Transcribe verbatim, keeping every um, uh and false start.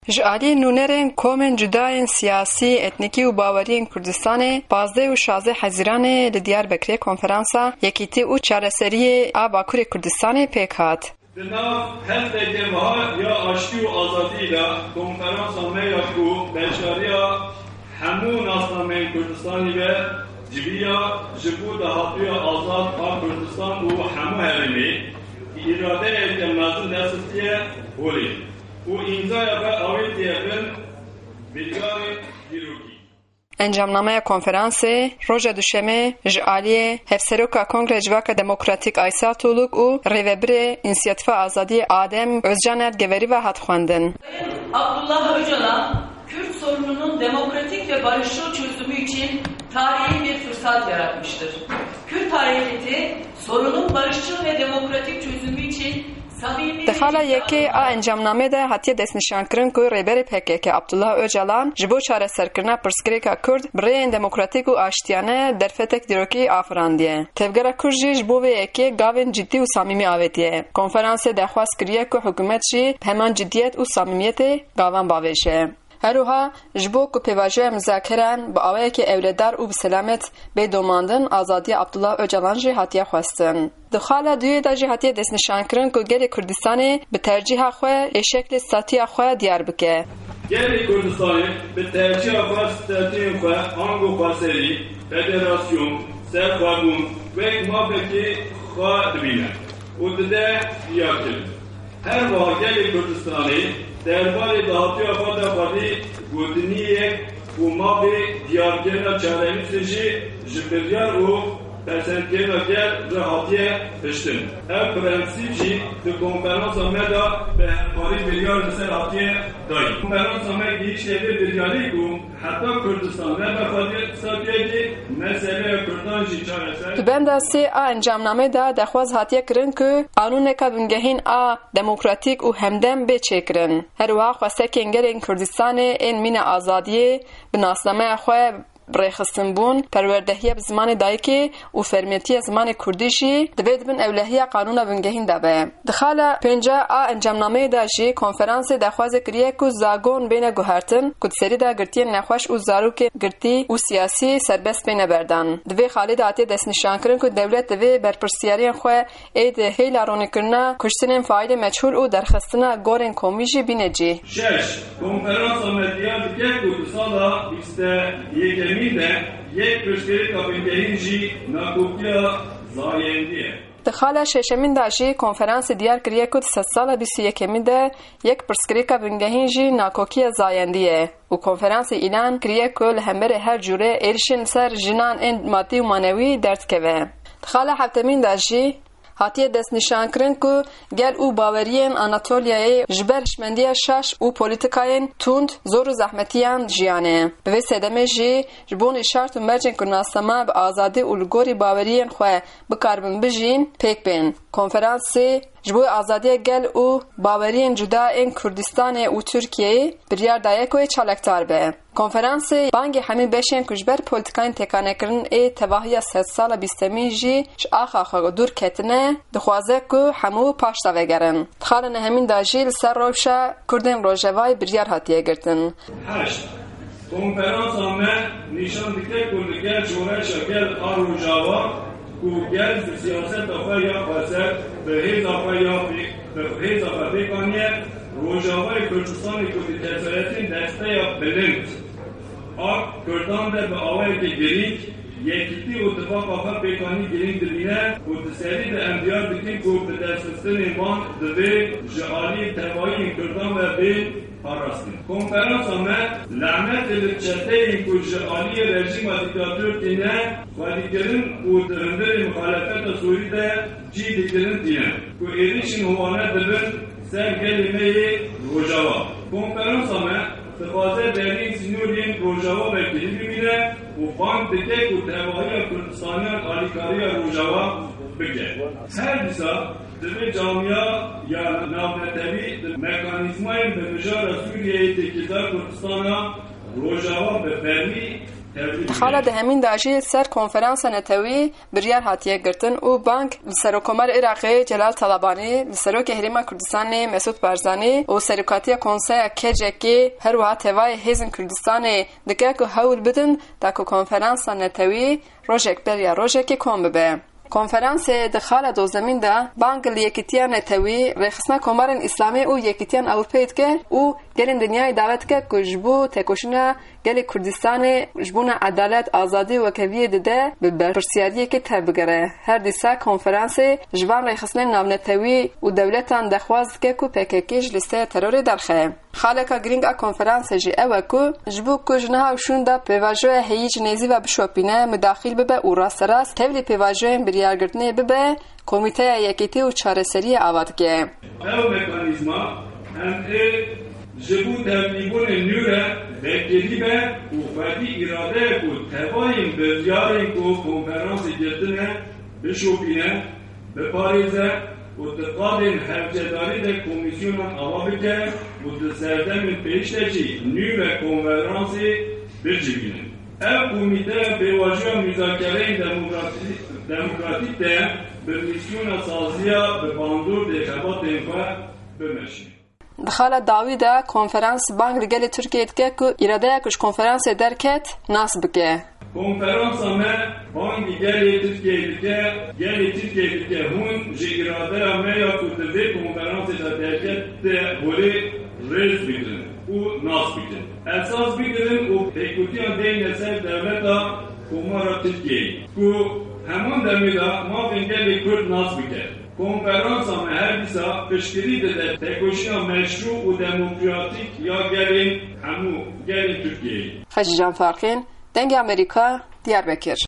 Ji alî nûnerên komên cuda yên siyasî, etnîkî û baweriyên Kurdistanê, pazdeh û şazdeh Hezîranê li Diyarbekirê konferansa Yekîtî û Çareseriyê a Bakurê Kurdistanê pêk hat. Di nav hefteke wiha ya aştî û azadî de konferansa me ya ku beşdariya hemû nasnameyên Kurdistanî ve civiya ji bo dahatûya azad a Kurdistan û hemû herêmê îradeyeke mezin derxistiye holê û îmzaya xwe avêtiye bin biryarên dîrokî. Encamnameya konferansê roja Duşemê ji aliyê Hevseroka Kongreya Civaka Demokratîk Aysel Tuğluk û rêvebirê Însiyatifa Azadiyê Adem Özcaner Geveri ve hat xwendin. Abdullah Öcalan, Kürt sorununun demokratik ve barışçıl çözümü için tarihi bir fırsat yaratmıştır. Kürt hareketi sorunun barışçıl ve demokratik çözümü için samimi Di xala yekê a encamnamê de hatiye destnîşankirin ku Rêberê P K K Abdullah Öcalan ji bo çareserkirina pirsgirêka Kurd bi rêyên demokratîk û aştiyane derfetek dîrokî afirandiye. Tevgera Kurd jî ji bo vê yekê gavên cidî û samîmî avêtiye. Konferansê daxwaz kiriye ku hikûmet jî bi heman cidiyet û samîmiyetê gavan bavêje. Her wiha ji bo ku pêvajoya muzakeran bi awayekî ewledar û bi selamet bê domandin, azadiya Abdullah Öcalan jî hatiye xwestin. Di xala duyê de jî hatiye destnîşankirin ku gelê Kurdistanê bi tercîha xwe ê şeklê statuya xwe diyar bike. Gelê Kurdistanê bi tercîha xwe statuyên xwe ango xweserî, federasyon, serxwebûn wek mafekî xwe dibîne û dide diyarkirin. Her wiha gelê Kurdistanê derbarê dahatûya xwe de xwedî gotiniyê û mafê diyarkirina çarenivîsê jî ji biryar û pesendkirina gel re hatiye hiştin. Ev prensîp jî di konferansa me de bi hevkarî biryar li ser hatiye dayîn. Konferansa me gihîşte vê biryarî ku heta Kurdistan nebe xwedî statuyekî, meseleya Kurdan jî çareser. Di benda sê a encamnamê de daxwaz hatiye kirin ku qanûneka bingehîn a demokratîk û hemdem bê çêkirin. Her wiha xwestekên gelên Kurdistanê ên mîna azadiyê bi nasnameya xwe bi rêxistinbûn, perwerdehiya bi zimanê dayikê û fermetiya zimanê kurdî jî divê di bin ewlehiya qanûna bingehîn de be. Di xala pênca a encamnameyê de jî konferansê daxwazê kiriye ku zagon bêne guhertin, ku di serî de girtiyên nexweş û zarokên girtî û siyasî serbest bêne berdan. Di vê xalê de hatiye destnîşankirin ku dewlet divê berpirsiyariyên xwe ê di hêla ronîkirina kuştinên faîlê meçhûl û derxistina gorên komî jî bîne cî. Şeş, konferansa me diyar dike ku di sala bîst û yekemîn de yek pirsgirêka bingehîn jî nakokiya zayendî ye. Di xala şeşemîn de jî konferansê diyar kiriye ku di sedsala bîst û yekemîn de yek pirsgirêka bingehîn jî nakokiya zayendî ye û konferansê îlan kiriye ku li hemberî her cûrê êrişên li ser jinan ên madî û manewî derdikeve. Di xala heftemîn de jî hatiye destnîşankirin ku gel û baweriyên Anatoliyayê ji ber hişmendiya şaş û polîtikayên tund, zor û zehmetiyan jiyane. Bi vê sedemê jî ji bo nîşart û mercên ku nasnama bi azadî û li gorî baweriyên xwe bikaribin bijîn, pêk bên. Konferansê ji bo azadiya gel û baweriyên cuda ên Kurdistanê û Tirkiyeyê biryar daye ku ê çalakdar be. Konferansê bangê hemî beşên ku ji ber polîtikayên têkanekirin ê tevahiya sedsala bîstemîn jî ji axa xwe dûr ketine, dixwaze ku hemû paş de vegerin. Di xala nehemîn de jî li ser rewşa Kurdên Rojavayê biryar hatiye girtin. Heşt. Konferansa me nîşan dike ku li gel şoreşa gel a Rojava ku gel bi siyaseta xwe ya xweser, bi hêza xwe ya pê-, bi hêza xwe pêk aniye, Rojavayê Kurdistanê ku di keseretên desteya bilind a Kurdan de bi awayeke girîng, yekîtî û tifaqa xwe pêkanî girîng dibîne û di serî de em diyar dikin ku bi destxistinên wan divê ji alî tevayî Kurdan ve bê parastin. Konferansa me lanetê li çeteyên ku ji aliyê rejîma dîktator tîne xwedîkirin û di hundirê muxalefeta Sûrî de cî dikirin tîne ku êrişên wane dibin ser gelê me yê Rojava. Konferansa me dixwaze deriyên sînoriyên Rojava ve kilî bimîne û bang dike ku tevahiya Kurdistaniyan alîkariya Rojava bike. Her dîsa divê camiya ya navnetewî di mekanîzmayên bi mijara Sûriyeyê têkildar Kurdistana Rojava bi fermî Di xala dehemîn de jî ser konferansa netewî biryar hatiye girtin û bang li Serokomarê Iraqê Celal Talabanî, li Serokê Herêma Kurdistanê Mesûd Barzanî û serokatiya Konseya K C K, her wiha tevayê hêzên Kurdistanê dike ku hewl bidin da ku konferansa netewî rojek beriya rojekê kom bibe. Konferansê di xala dozemîn de bang li Yekîtiya Netewî, Rêxistina Komarên Îslamî û Yekîtiyan Ewropeyê dike û gelên dinyayê davet dike ku ji bo tekoşîna gelê Kurdistanê ji bona edalet, azadî û wekheviyê dide bi berpirsiyariyekê tevbigere. Her dîsa konferansê ji van rêxistinên navnetewî û dewletan dexwaz dike ku P K K ji lîsteya terorê derxe. Xaleka girîng a konferansê jî ew e ku ji bo ku ji niha û şûn de pêvajoya heyî ji nêzî ve bişopîne, midaxîl bibe û rasterast tevlî pêvajoyên biryargirtinê bibe, Komîteya Yekîtî û Çareseriyê ava dike. Ew mekanîzma em ê ji bo tevlîbûnên nû re vekirî be û xwedî îradeya ku tevayên biryarên ku konferansê girtine bişopîne, biparêze û di qadên hewcedarî de komîsyonan ava bike û di serdemên pêş de jî nû ve konferansê bicivîne. Ev komîteya pêvajoya muzakereyên demokratî-, demokratîk de bi mîsyona saziya bi bandordê xebatên xwe bimeşîne. Di xala dawî de konferans bang li gelê Tirkiyeyê dike ku îradeya ku ji konferansê derket nas bike. Konferansa me bangî gelê Tirkiyeyê dike, gelê Tirkiyeyê dike hûn ji îradeya me ya ku di vê konferansê de derkete holê rêz bigirin û nas bikin. Esas bigirin û pêkûtiyan deyne ser dewleta Komara Tirkiyeyê ku heman demê de mafên gelê Kurd nas bike. Konferansa me her dîsa piştgirî dide tekoşîna meşrû û demokratîk ya gelên hemû gelên Tirkiyeyê. Xecîcan Farqîn, Dengê Amerîka, Diyarbekir.